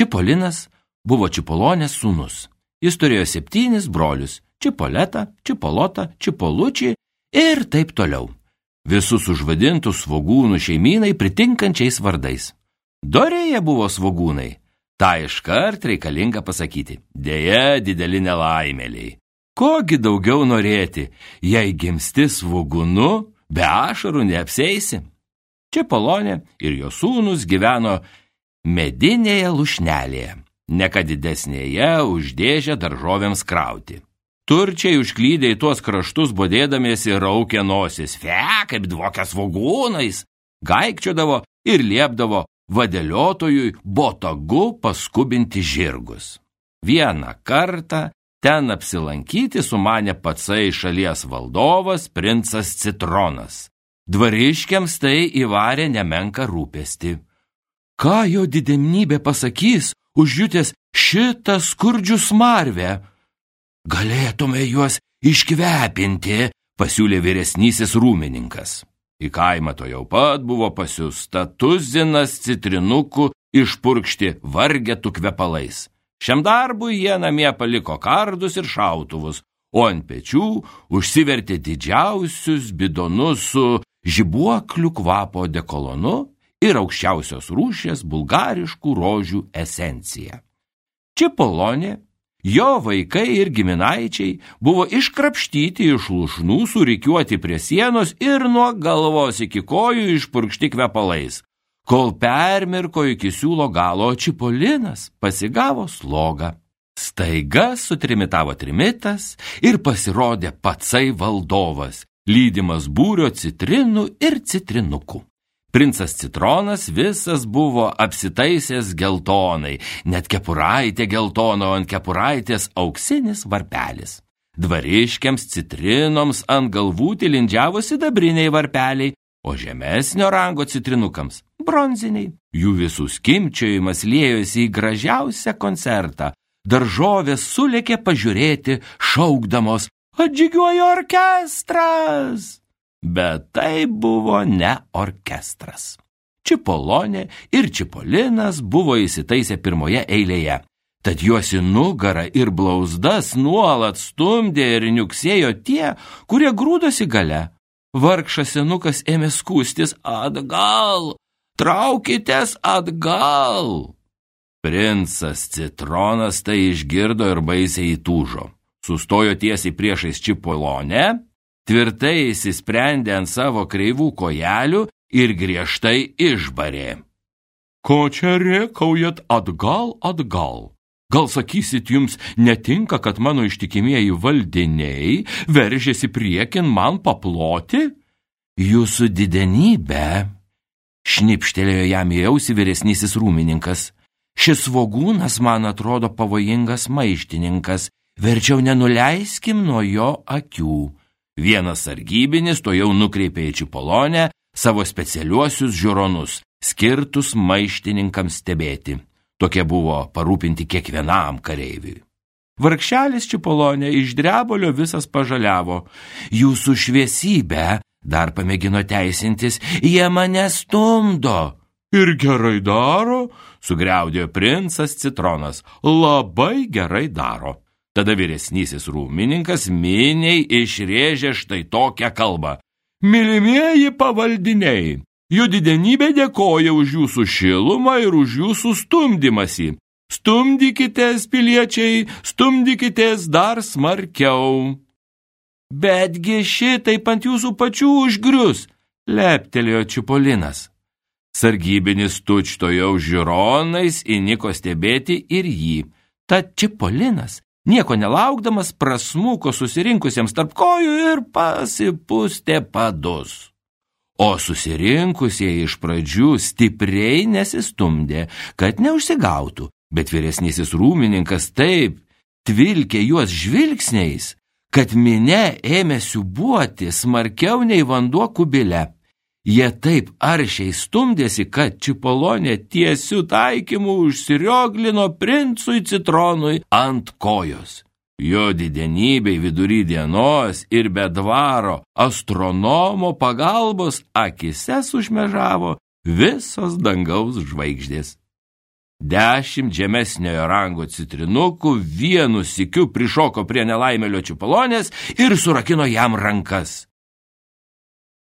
Čipolinas buvo Čipolonės sūnus. Jis turėjo 7 brolius – Čipoletą, Čipolotą, Čipolučį ir taip toliau. Visus užvadintų svogūnų šeimynai pritinkančiais vardais. Dorėje buvo svogūnai. Ta iškart reikalinga pasakyti. Deja, dideli nelaimėliai. Kogi daugiau norėti, jei gimsti svogūnu, be ašarų neapseisi. Čipolonė ir jo sūnus gyveno medinėje lušnelėje, ne ką didesnėje už dėžę daržovėms krauti. Turčiai užklydę į tuos kraštus bodėdamiesi raukė nosis, kaip dvokia svogūnais, gaikčiodavo ir liepdavo vadeliotojui botagu paskubinti žirgus. Vieną kartą ten apsilankyti sumanė patsai šalies valdovas princas Citronas. Dvariškiams tai įvarė nemenką rūpestį. Ką jo didenybė pasakys, užjutęs šitą skurdžių smarvę? Galėtume juos iškvepinti, pasiūlė vyresnysis rūmininkas. Į kaimą to jau pat buvo pasiųsta tuzinas citrinukų išpurkšti vargetų kvepalais. Šiam darbui jie namie paliko kardus ir šautuvus, o ant pečių užsivertė didžiausius bidonus su žibuoklių kvapo dekolonu ir aukščiausios rūšies bulgariškų rožių esencija. Čipolonė, jo vaikai ir giminaičiai buvo iškrapštyti iš lūšnų, surikiuoti prie sienos ir nuo galvos iki kojų išpurkšti kvepalais, kol permirko iki siūlo galo, Čipolinas pasigavo slogą. Staiga sutrimitavo trimitas ir pasirodė patsai valdovas, lydimas būrio citrinų ir citrinukų. Princas Citronas visas buvo apsitaisęs geltonai, net kepuraitė geltona, o ant kepuraitės auksinis varpelis. Dvariškiams citrinoms ant galvų tilindžiavo sidabriniai varpeliai, o žemesnio rango citrinukams bronziniai. Jų visų skimbčiojimas liejosi į gražiausią koncertą. Daržovės sulėkė pažiūrėti, šaukdamos: atžygiuoja orkestras! Bet tai buvo ne orkestras. Čipolonė ir Čipolinas buvo įsitaisę pirmoje eilėje, tad juos į nugarą ir blauzdas nuolat stumdė ir niuksėjo tie, kurie grūdosi gale. Vargšas senukas ėmė skųstis: atgal, traukitės atgal. Princas Citronas tai išgirdo ir baisiai įtūžo. Sustojo tiesiai priešais Čipolonę, tvirtai įsisprendė ant savo kreivų kojelių ir griežtai išbarė: ko čia rėkaujat atgal, atgal? Gal sakysit, jums netinka, kad mano ištikimieji valdiniai veržėsi priekin man paploti? Jūsų didenybė, šnipštelėjo jam į ausį vyresnysis rūmininkas, šis svogūnas man atrodo pavojingas maištininkas, verčiau nenuleiskim nuo jo akių. Vienas sargybinis to jau nukreipė į Čipolonę savo specialiuosius žiūronus, skirtus maištininkams stebėti. Tokie buvo parūpinti kiekvienam kareiviui. Vargšelis Čipolonė iš drebolio visas pažaliavo. Jūsų šviesybė, dar pamėgino teisintis, jie mane stumdo. Ir gerai daro, sugriaudėjo princas Citronas. Labai gerai daro. Tada vyresnysis rūmininkas miniai išrėžė štai tokią kalbą. Mylimieji pavaldiniai, jų didenybė dėkoja už jūsų šilumą ir už jūsų stumdymąsi. Stumdykitės, piliečiai, stumdykitės dar smarkiau. Betgi šitaip ant jūsų pačių užgrius, leptelėjo Čipolinas. Sargybinis tučtojau žiūronais įniko stebėti ir jį. Tad Čipolinas, nieko nelaukdamas, prasmuko susirinkusiems tarp kojų ir pasipustė padus. O susirinkusieji iš pradžių stipriai nesistumdė, kad neužsigautų, bet vyresnysis rūmininkas taip tvilkė juos žvilgsniais, kad minia ėmė siūbuoti smarkiau nei vanduo kubile. Jie taip aršiai stumdėsi, kad Čipolonė tiesiu taikymu užsirioglino princui Citronui ant kojos. Jo didenybei vidury dienos ir be dvaro astronomo pagalbos akise sušmežavo visos dangaus žvaigždės. 10 žemesniojo rango citrinukų vienu sykiu prišoko prie nelaimėlio Čipolonės ir surakino jam rankas.